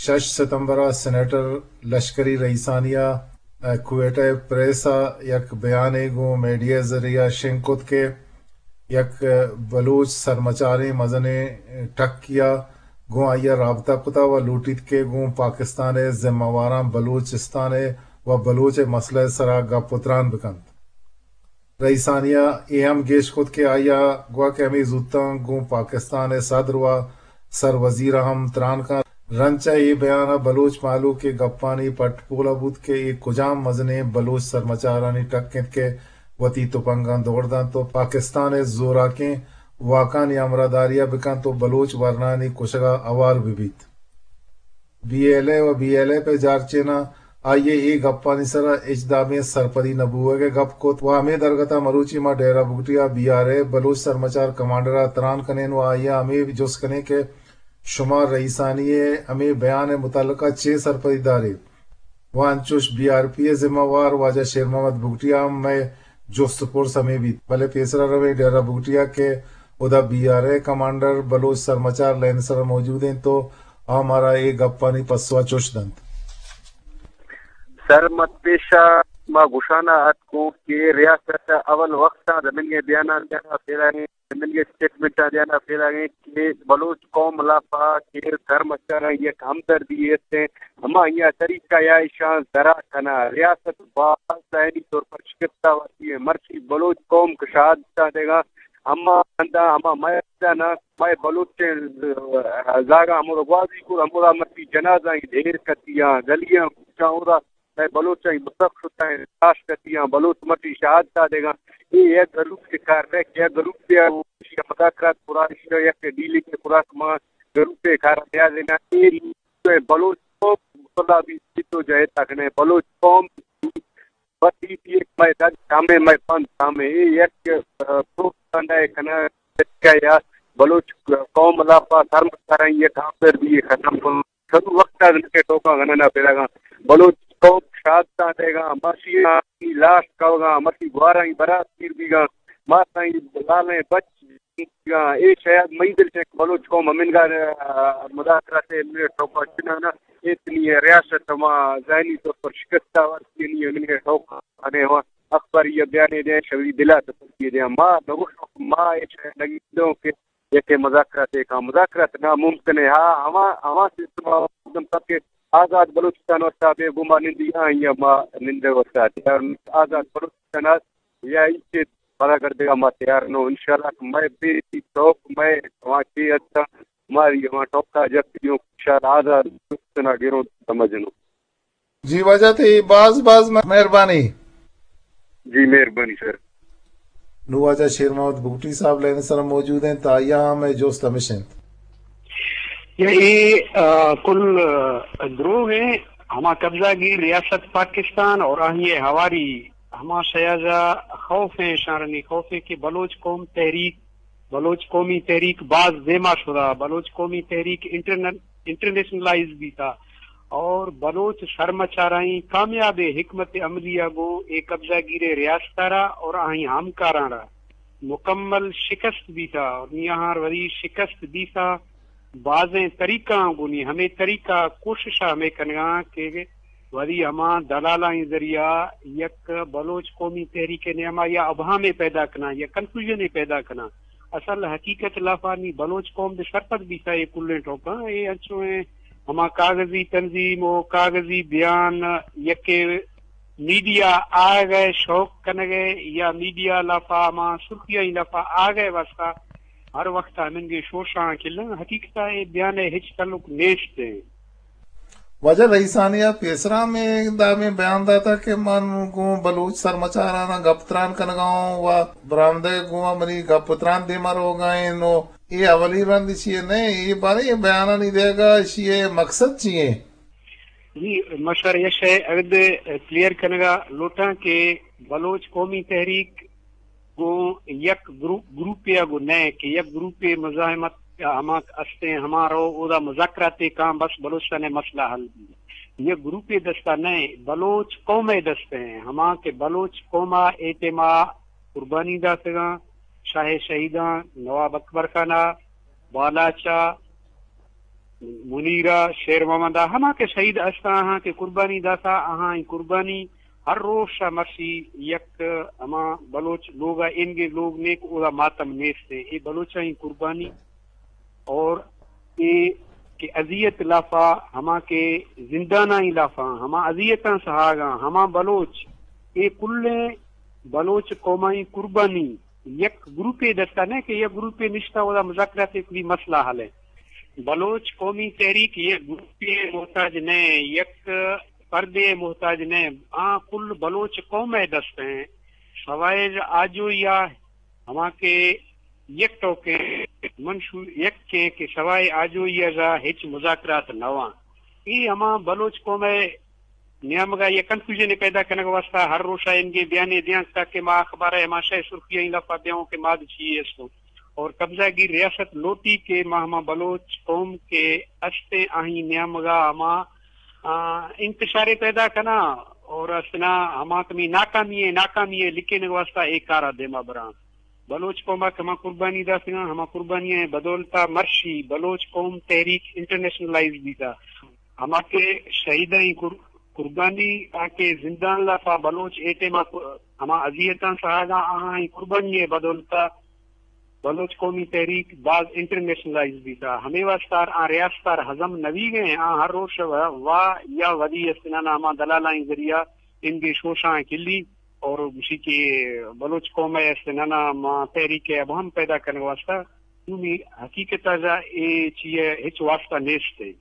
شش ستمبر ءَ سینیٹر لشکری رئیسانی ءَ کوئٹہ ءِ پریس ءَ یک بیانے گوں میڈیا ءِ ذریعہ ءَ شنگ کت کہ یک بلوچ سرمچاریں مزنیں ٹکے ءَ گوں آئی ءَ رابطہ کتہ ءُ لوٹیت کہ گوں پاکستان ءِ ذمہ واراں بلوچستان ءِ ءُ بلوچ ءِ مسئلہ ءِ سرا گپ ءُ تران بکنت۔ رئیسانی ءَ اے ہم گیش کت کہ آئی ءَ گوشت کہ ہمے زوتاں گوں پاکستان ءِ صدر ءُ سروزیر ءَ ہم تران کنت۔ رند چہ اے بیان ءَ بلوچ مہلوک ءِ گپانی پٹ پول ءَ بوت کہ اے کجام مزنیں بلوچ سرمچارانی ٹک انت کہ وتی تپنگاں دور دنت ءُ پاکستان ءِ زوراکیں واکانی ہمراہداری ءَ بکنت ءُ بلوچ ورنایانی کشگ ءَ ہوار بہ بیت۔ بی ایل اے ءُ بی ایل ایف ءِ جارچیناں آئی ءِ اے گپانی سرا ہچ دابیں سرپدی نہ بوہگ ءِ گپ کت ءُ ہمے درگت ءَ مروچی ما ڈیرہ بگٹی ءَ بی آر اے بلوچ سرمچار کمانڈر ءَ تران کنیں ءُ آئی ءَ ہمے جست کنیں کہ شما رئیسانی ءِ ہمے بیان ءِ متعلق ءَ چے سرپدی داریت؟ ءُ انچوش بی آر پی ءِ ذمہ وار واجہ شیر محمد بگٹی ءَ ہم مئے جست ءُ پرس ہمے بیت، بلے پیسرا رویں ڈیرہ بگٹی ءَ کہ اودا بی آر اے کمانڈر بلوچ سرمچار لائن ءِ سرا موجود انت ءُ آ مارا اے گپانی پسو ءَ چوش دنت۔ سر، مت پیشا ما گوشانا اتکوں کہ ریاست ءَ اول وقت ءَ دمنگے بیاناں دیانا پیراگیں، دمنگے سٹیٹمنٹاں دیانا پیراگیں کہ بلوچ قوم لافا کہ سرمچاراں یک ہمدردی است ہیں، ہما یا طریقہ یا ایشان درا کنا۔ ریاست باز ذہنی طور پر شکستہ وارتی ہے۔ مرچی بلوچ قوم کہ شہادتاں دیگا، ہما ہندا، ہما میدانا مئے بلوچیں زاگاں ہمودا گوازی کور، ہمودا مرچی جنازہ ڈھیر کتیاں، گلیاں کوچاں اودا مئے بلوچاں متک شتاں، لاش کتیاں، بلوچ مرچی شہادت دیگاں۔ اے یک گروپ کے کار ہے، یک گروپ کے مذاکرات پورا، یک ڈیلنگ پورا کما گروپ کے کار ہے۔ اے بلوچ قوم مصلا بیت، جدوجہد ءَ کنے، بلوچ قوم بس ایشی ءَ مئے دگ کمیں، مئے پند کمیں۔ اے یک، آ، پروپیگنڈا ءِ کنگ ءِ یا بلوچ قوم ءِ لاپا سرمچاراں یک ہمدردی ءَ ختم کن۔ شروع وقت ءَ کہ ٹوکاں گننا پیداگاں، بلوچ قوم شہادتاں دیگاں، ماشی لاش کوگاں، ماشی گوارانی برات پیر بیگاں، ماسائی لالیں بچ اے شاید مئی دل چہ بلوچ قوم ہمنگا، آ، مذاکرات ءِ منٹ ٹوکا چنانا اتنی ریاست ہما ذہنی طور پر شکستہ ورتی نی ہمنگا ٹوکا آنے ہوا اخباری یا بیانے دے شوی دلا تسلی دے۔ ما نگوش ما اے شاید نگی دوں کہ یک مذاکرات ءِ کا مذاکرات ناممکن ہے۔ ہاں، ہما، ہما سسٹم ءَ مقدم تک کہ آزاد بلوچستان واسطہ بے گما نندی آں یا ما نندے واسطہ تیار، آزاد بلوچستان ءَ یا ایچے پدا گردگا ما تیار نہ۔ انشاءاللہ کہ مئے بے ٹوک مئے ہما چے ہستاں، ماری ہما ٹوکا جت دیوں، انشاءاللہ آزاد بلوچستان ءَ گروں سمجھنوں۔ جی واجہ تئی باز باز مہربانی۔ جی مہربانی سر۔ نوں واجہ شیر محمد بگٹی صاحب لائن ءِ سرا موجود انت، آئی ءَ ہم اے جست ہمیش انت۔ یا اے، آ، کل، آ، دروغ ہیں۔ ہما قبضہ گیر ریاست پاکستان اور آہی ہواری ہما شیاجا خوف ہیں، شارنی خوف ہیں کہ بلوچ قوم تحریک، بلوچ قومی تحریک باز دیما شدا، بلوچ قومی تحریک انٹرنل، انٹرنیشنلائز بیتا اور بلوچ سرمچارائیں کامیاب حکمت عملی ءَ گوں اے قبضہ گیر ریاست ءَ را اور آہی ہمکاراں را مکمل شکست بیتا اور نی آہاں وری شکست بیتا بازیں طریقہ آں گونی ہمے طریقہ کوشش ہمے کنگا کہ وری ہما دلالانی ذریعہ یک بلوچ قومی تحریک نیاما یا ابہامے پیدا کنا یا کنفیوژنے پیدا کنا۔ اصل حقیقت لافا نی بلوچ قوم دے سرپد بیتا اے کلیں ٹوکاں۔ اے انچو ہیں ہما کاغذی تنظیم و کاغذی بیان یکے میڈیا آگئے شوق کنگئے یا میڈیا لافا ہما سرخیاں لافا آگئے واسطہ ہر وخت ہمنگے شوشاں کلن۔ حقیقتا اے بیانے ہچ تعلق نیشت ہیں۔ واجہ رئیسانی ءَ پیسرا ہمے دابیں بیان داتا کہ من گوں بلوچ سرمچاراناں گپ تران کنگا اوں و برآمدہ گوں منی گپ تران دیما روگا ایں۔ نو اے اولی رند ایشی ءِ نہ ایں، اے باریں اے بیانانی دیگا ایشی ءِ مقصد چی ایں؟ جی، ما شر یہ شے اگد کلیئر کنگا لوٹاں کہ بلوچ قومی تحریک گوں یک گروپ، گروپے ءَ گوں نہ کہ یک گروپے مزاحمت ہما استیں، ہما رو اودا مذاکراتے کاں بس بلوچستان ءِ مسئلہ حل بی۔ یک گروپے دستا نہ، بلوچ قوم ءِ دست ہیں، ہما کہ بلوچ قوم ءَ اے ٹیم ءَ قربانی داتگاں، شاہ شہیداں، نواب اکبر خان ءَ، بالاچ ءَ، منیرہ، شیر محمد، ہما کہ شہید استاں، آہاں کہ قربانی داتا، آہاں ای قربانی ہر روش مرشی یک ہما بلوچ لوگ ء اینگے لوگ نیک اودا ماتم نیست۔ اے بلوچاں ای قربانی اور اے کہ اذیت لافا، ہما کہ زنداناں ای لافا، ہما اذیتاں سہاگاں، ہما بلوچ، اے کلیں بلوچ قوماں ای قربانی یک گروپے دستا نہ کہ یک گروپے نشتا اودا مذاکرات کلی مسئلہ حل ہے۔ بلوچ قومی تحریک یک گروپے محتاج نہ، یک پردے محتاج نہ، آ کل بلوچ قوم ء دست ہیں۔ سوائے آجوئی آ ہما کہ یک ٹوکیں منشور یک کے کہ سوائے آجوئی ء ہچ مذاکرات نہ واں۔ ای ہما بلوچ قوم ء نیامگا یک کنفیوژن پیدا کنگ واسطہ ہر روشا انگے بیانے دیاں تاکہ ما اخبار ء ہما شے سرخیاں لفا دیاں کہ ماد چی استوں۔ اور قبضہ گیر ریاست لوٹی کہ ما ہما بلوچ قوم کے استیں آہی نیامگا ہما، آ، انتشارے پیدا کنا اور استنا ہما تمی ناکامی ہے، ناکامی ہے لکھنے واسطہ ایک کارا دیما براں۔ بلوچ قوم ء ہما قربانی داتگاں، ہما قربانی ء بدولتا مرشی بلوچ قوم تحریک انٹرنیشنلائز بیتا۔ ہما کہ شہیداں ای قر-، قربانی تاکہ زندان لافا بلوچ اے ٹائم ء ہما اذیتاں سہاگاں آہاں ای قربانی ء بدولتا بلوچ قومی تحریک باز انٹرنیشنلائز بیتا۔ ہمے واسطار آ ریاستار ہزم نویگ ہیں، آ ہر روش وا، وا یا ودی استنانا ہما دلالائیں ذریعہ انگے شوشاں کلی اور گوشی کہ بلوچ قوم ء استنانا ما تحریک ء ابہم پیدا کرنے واسطہ دومی حقیقت ء جا اے چیئے ہچ واسطہ نیست ہے۔